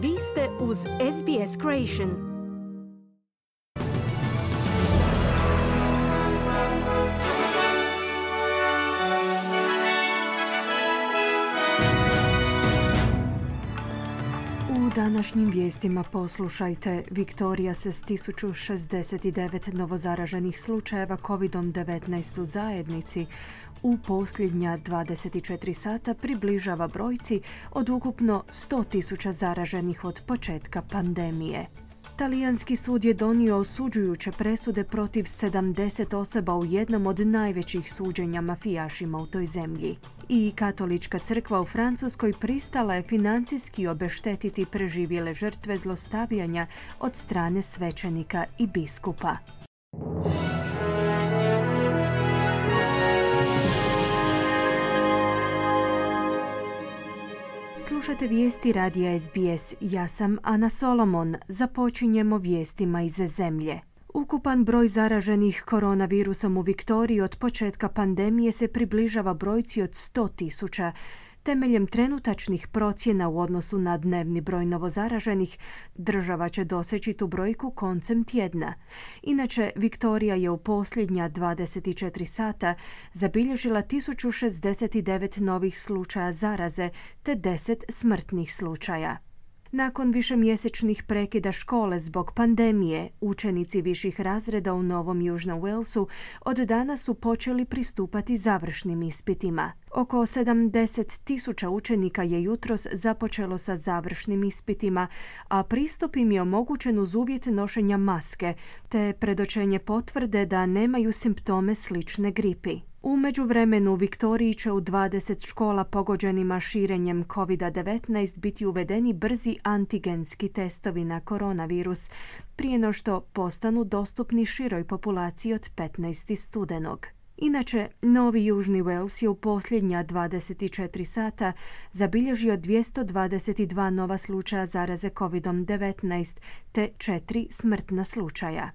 Vi ste uz SBS Creation. U današnjim vijestima poslušajte: Viktorija se s 1069 novozaraženih slučajeva COVID-19 u zajednici u posljednja 24 sata približava brojci od ukupno 100.000 zaraženih od početka pandemije. Talijanski sud je donio osuđujuće presude protiv 70 osoba u jednom od najvećih suđenja mafijašima u toj zemlji. I Katolička crkva u Francuskoj pristala je financijski obeštetiti preživjele žrtve zlostavljanja od strane svećenika i biskupa. Slušate vijesti radija SBS. Ja sam Ana Solomon. Započinjemo vijestima iz zemlje. Ukupan broj zaraženih koronavirusom u Viktoriji od početka pandemije se približava brojci od 100.000. Temeljem trenutačnih procjena u odnosu na dnevni broj novozaraženih, država će doseći tu brojku koncem tjedna. Inače, Viktorija je u posljednja 24 sata zabilježila 1069 novih slučaja zaraze te 10 smrtnih slučaja. Nakon višemjesečnih prekida škole zbog pandemije, učenici viših razreda u Novom Južnom Walesu od danas su počeli pristupati završnim ispitima. Oko 70.000 učenika je jutros započelo sa završnim ispitima, a pristup im je omogućen uz uvjet nošenja maske, te predočenje potvrde da nemaju simptome slične gripi. U međuvremenu u Viktoriji će u 20 škola pogođenima širenjem COVID-19 biti uvedeni brzi antigenski testovi na koronavirus prije no što postanu dostupni široj populaciji od 15. studenog. Inače, Novi Južni Wales je u posljednja 24 sata zabilježio 222 nova slučaja zaraze COVID-19 te 4 smrtna slučaja.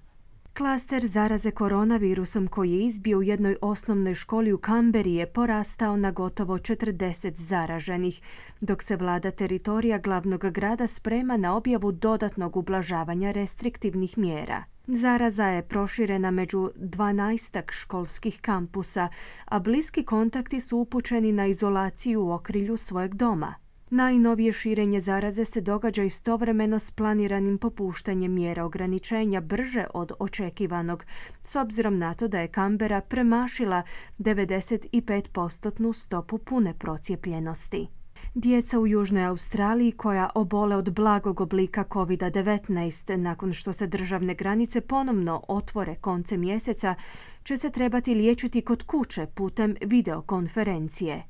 Klaster zaraze koronavirusom koji je izbio u jednoj osnovnoj školi u Canberri je porastao na gotovo 40 zaraženih, dok se vlada teritorija glavnog grada sprema na objavu dodatnog ublažavanja restriktivnih mjera. Zaraza je proširena među 12 školskih kampusa, a bliski kontakti su upućeni na izolaciju u okrilju svojeg doma. Najnovije širenje zaraze se događa istovremeno s planiranim popuštanjem mjera ograničenja brže od očekivanog, s obzirom na to da je Canberra premašila 95% stopu pune procijepljenosti. Djeca u Južnoj Australiji koja obole od blagog oblika COVID-19 nakon što se državne granice ponovno otvore koncem mjeseca će se trebati liječiti kod kuće putem videokonferencije.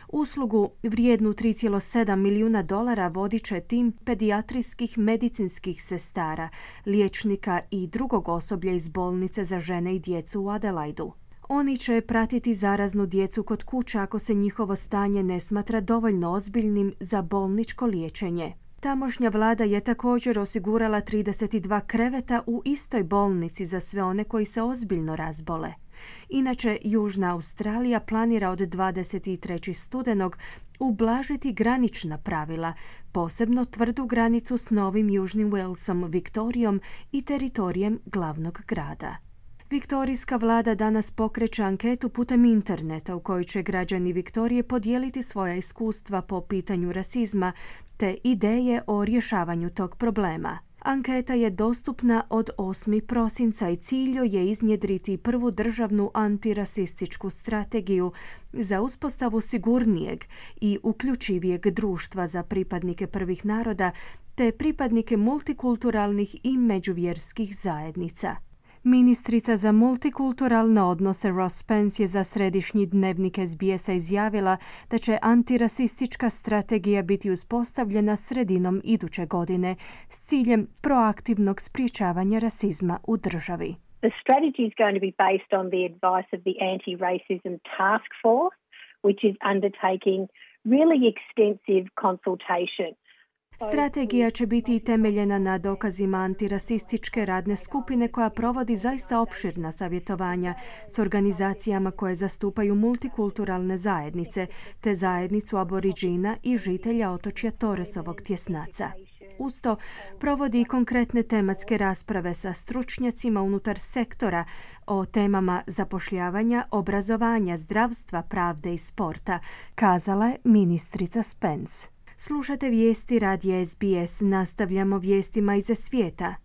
Uslugu vrijednu $3,7 milijuna vodit će tim pedijatrijskih medicinskih sestara, liječnika i drugog osoblja iz bolnice za žene i djecu u Adelaidu. Oni će pratiti zaraznu djecu kod kuće ako se njihovo stanje ne smatra dovoljno ozbiljnim za bolničko liječenje. Tamošnja vlada je također osigurala 32 kreveta u istoj bolnici za sve one koji se ozbiljno razbole. Inače, Južna Australija planira od 23. studenog ublažiti granična pravila, posebno tvrdu granicu s Novim Južnim Walesom, Viktorijom i teritorijem glavnog grada. Viktorijska vlada danas pokreće anketu putem interneta u kojoj će građani Viktorije podijeliti svoja iskustva po pitanju rasizma te ideje o rješavanju tog problema. Anketa je dostupna od 8. prosinca i cilj je iznjedriti prvu državnu antirasističku strategiju za uspostavu sigurnijeg i uključivijeg društva za pripadnike prvih naroda te pripadnike multikulturalnih i međuvjerskih zajednica. Ministrica za multikulturalne odnose Ross Pence je za središnji dnevnik SBS-a izjavila da će antirasistička strategija biti uspostavljena sredinom iduće godine s ciljem proaktivnog sprječavanja rasizma u državi. The strategy is going to be based on the advice of the Anti-Racism Task Force, which is undertaking really extensive consultation. Strategija će biti temeljena na dokazima antirasističke radne skupine koja provodi zaista opširna savjetovanja s organizacijama koje zastupaju multikulturalne zajednice te zajednicu aboriđina i žitelja otočja Torresovog tjesnaca. Usto provodi konkretne tematske rasprave sa stručnjacima unutar sektora o temama zapošljavanja, obrazovanja, zdravstva, pravde i sporta, kazala je ministrica Spence. Slušate vijesti radija SBS, nastavljamo vijestima iz svijeta.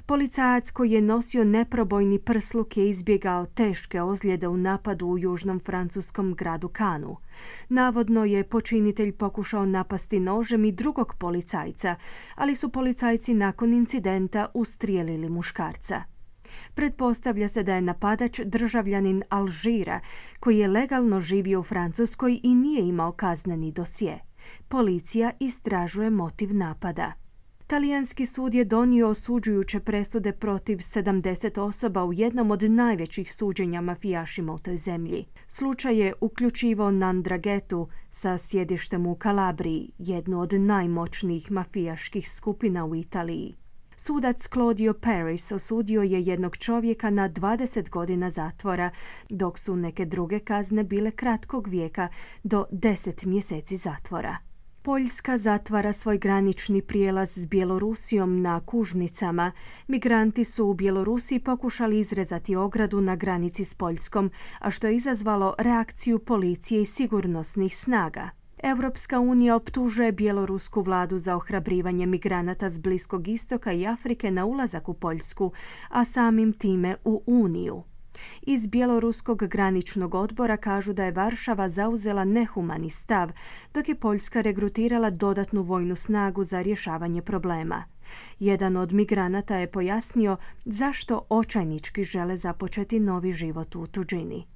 Policajac koji je nosio neprobojni prsluk je izbjegao teške ozljede u napadu u južnom francuskom gradu Cannesu. Navodno je počinitelj pokušao napasti nožem i drugog policajca, ali su policajci nakon incidenta ustrijelili muškarca. Pretpostavlja se da je napadač državljanin Alžira koji je legalno živio u Francuskoj i nije imao kazneni dosje. Policija istražuje motiv napada. Talijanski sud je donio osuđujuće presude protiv 70 osoba u jednom od najvećih suđenja mafijašima u toj zemlji. Slučaj je uključivao Nandrangetu sa sjedištem u Kalabriji, jednu od najmoćnijih mafijaških skupina u Italiji. Sudac Claudio Paris osudio je jednog čovjeka na 20 godina zatvora, dok su neke druge kazne bile kratkog vijeka do 10 mjeseci zatvora. Poljska zatvara svoj granični prijelaz s Bjelorusijom na Kužnicama. Migranti su u Bjelorusiji pokušali izrezati ogradu na granici s Poljskom, a što je izazvalo reakciju policije i sigurnosnih snaga. Europska unija optužuje bjelorusku vladu za ohrabrivanje migranata s Bliskog istoka i Afrike na ulazak u Poljsku, a samim time u Uniju. Iz bjeloruskog graničnog odbora kažu da je Varšava zauzela nehumani stav, dok je Poljska regrutirala dodatnu vojnu snagu za rješavanje problema. Jedan od migranata je pojasnio zašto očajnički žele započeti novi život u tuđini.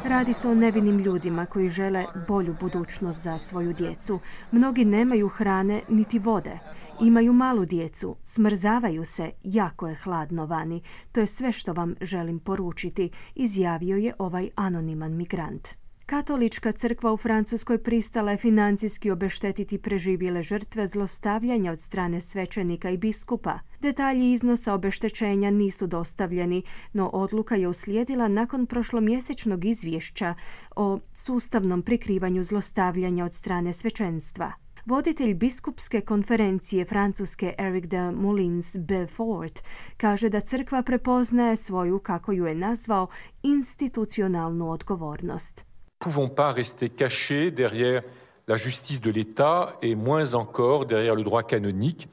Radi se o nevinim ljudima koji žele bolju budućnost za svoju djecu. Mnogi nemaju hrane niti vode. Imaju malu djecu, smrzavaju se, jako je hladno vani. To je sve što vam želim poručiti, izjavio je ovaj anoniman migrant. Katolička crkva u Francuskoj pristala je financijski obeštetiti preživjele žrtve zlostavljanja od strane svećenika i biskupa. Detalji iznosa obeštećenja nisu dostavljeni, no odluka je uslijedila nakon prošlomjesečnog izvješća o sustavnom prikrivanju zlostavljanja od strane svećenstva. Voditelj biskupske konferencije Francuske Eric de Moulins-Belfort kaže da crkva prepoznaje svoju, kako ju je nazvao, institucionalnu odgovornost. Pouvons pas rester cachés derrière la justice de l'État et moins encore derrière le droit canonique.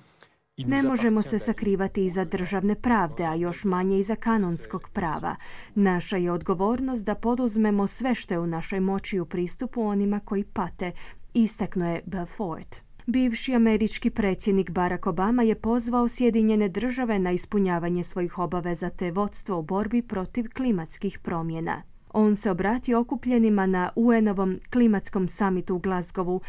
Ne možemo se sakrivati iza državne pravde, a još manje iza kanonskog prava. Naša je odgovornost da poduzmemo sve što je u našoj moći u pristupu onima koji pate, istaknuo je Belfort. Bivši američki predsjednik Barack Obama je pozvao Sjedinjene Države na ispunjavanje svojih obaveza te vodstvo u borbi protiv klimatskih promjena. On se obratio okupljenima na UN-ovom klimatskom samitu u Glasgowu,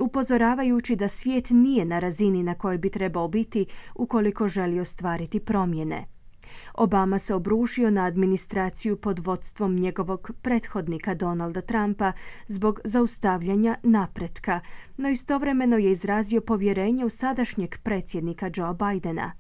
upozoravajući da svijet nije na razini na kojoj bi trebao biti ukoliko želi ostvariti promjene. Obama se obrušio na administraciju pod vodstvom njegovog prethodnika Donalda Trumpa zbog zaustavljanja napretka, no istovremeno je izrazio povjerenje u sadašnjeg predsjednika Joe Bidena.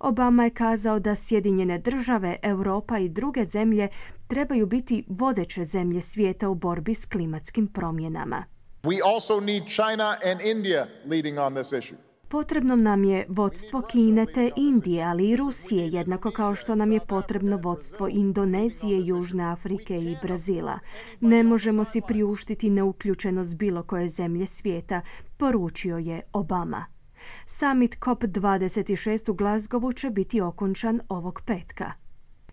Obama je kazao da Sjedinjene Države, Europa i druge zemlje trebaju biti vodeće zemlje svijeta u borbi s klimatskim promjenama. We also need China and India leading on this issue. Potrebno nam je vodstvo Kine te Indije, ali i Rusije, jednako kao što nam je potrebno vodstvo Indonezije, Južne Afrike i Brazila. Ne možemo si priuštiti neuključenost bilo koje zemlje svijeta, poručio je Obama. Summit COP26 u Glasgowu će biti okončan ovog petka.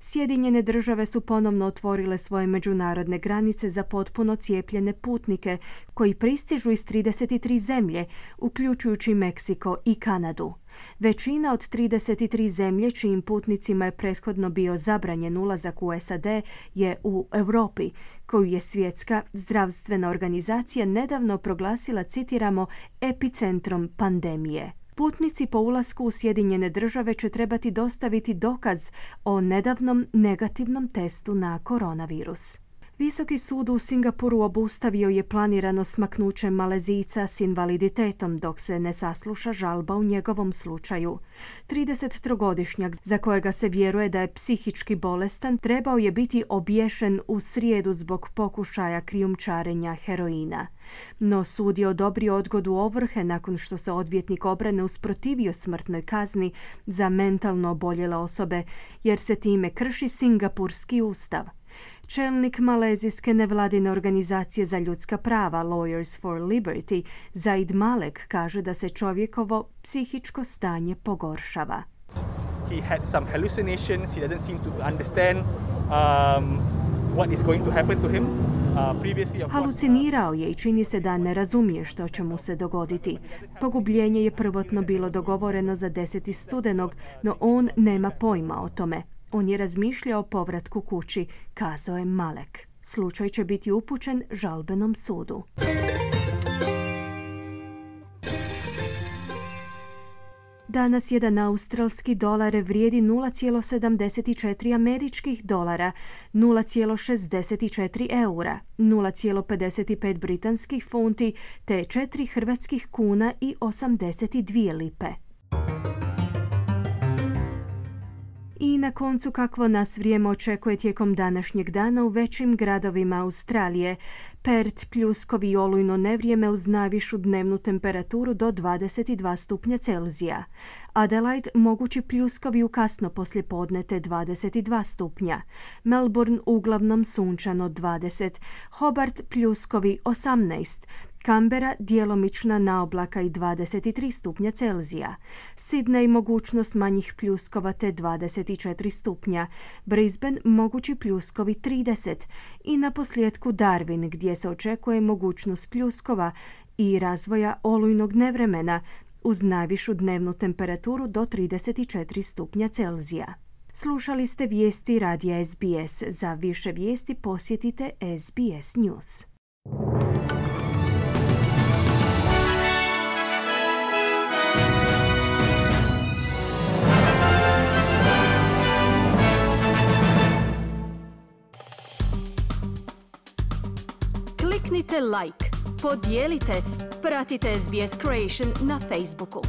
Sjedinjene Države su ponovno otvorile svoje međunarodne granice za potpuno cijepljene putnike koji pristižu iz 33 zemlje, uključujući Meksiko i Kanadu. Većina od 33 zemlje čijim putnicima je prethodno bio zabranjen ulazak u SAD je u Europi, koju je Svjetska zdravstvena organizacija nedavno proglasila, citiramo, epicentrom pandemije. Putnici po ulasku u Sjedinjene Države će trebati dostaviti dokaz o nedavnom negativnom testu na koronavirus. Visoki sud u Singapuru obustavio je planirano smaknuće Malezijca s invaliditetom dok se ne sasluša žalba u njegovom slučaju. 33-godišnjak, za kojega se vjeruje da je psihički bolestan, trebao je biti obješen u srijedu zbog pokušaja krijumčarenja heroina. No sud je odobrio odgodu ovrhe nakon što se odvjetnik obrane usprotivio smrtnoj kazni za mentalno oboljele osobe, jer se time krši Singapurski ustav. Čelnik malezijske nevladine organizacije za ljudska prava Lawyers for Liberty, Zaid Malek, kaže da se čovjekovo psihičko stanje pogoršava. He had some hallucinations. He doesn't seem to understand what is going to happen to him. Halucinirao je i čini se da ne razumije što će mu se dogoditi. Pogubljenje je prvotno bilo dogovoreno za 10. studenog, no on nema pojma o tome. On je razmišljao o povratku kući, kazao je Malek. Slučaj će biti upućen žalbenom sudu. Danas jedan australski dolar vrijedi 0,74 američkih dolara, 0,64 eura, 0,55 britanskih funti te 4 hrvatskih kuna i 82 lipe. I na koncu kakvo nas vrijeme očekuje tijekom današnjeg dana u većim gradovima Australije. Perth pljuskovi i olujno nevrijeme uz najvišu dnevnu temperaturu do 22 stupnja Celzija. Adelaide mogući pljuskovi u kasno poslijepodne te 22 stupnja. Melbourne uglavnom sunčano 20. Hobart pljuskovi 18. Canberra djelomična naoblaka i 23 stupnja Celzija. Sydney mogućnost manjih pljuskova te 24 stupnja. Brisbane mogući pljuskovi 30. I na posljedku Darwin gdje se očekuje mogućnost pljuskova i razvoja olujnog nevremena uz najvišu dnevnu temperaturu do 34 stupnja Celzija. Slušali ste vijesti radija SBS. Za više vijesti posjetite SBS News. Kliknite like, podijelite, pratite SBS Creation na Facebooku.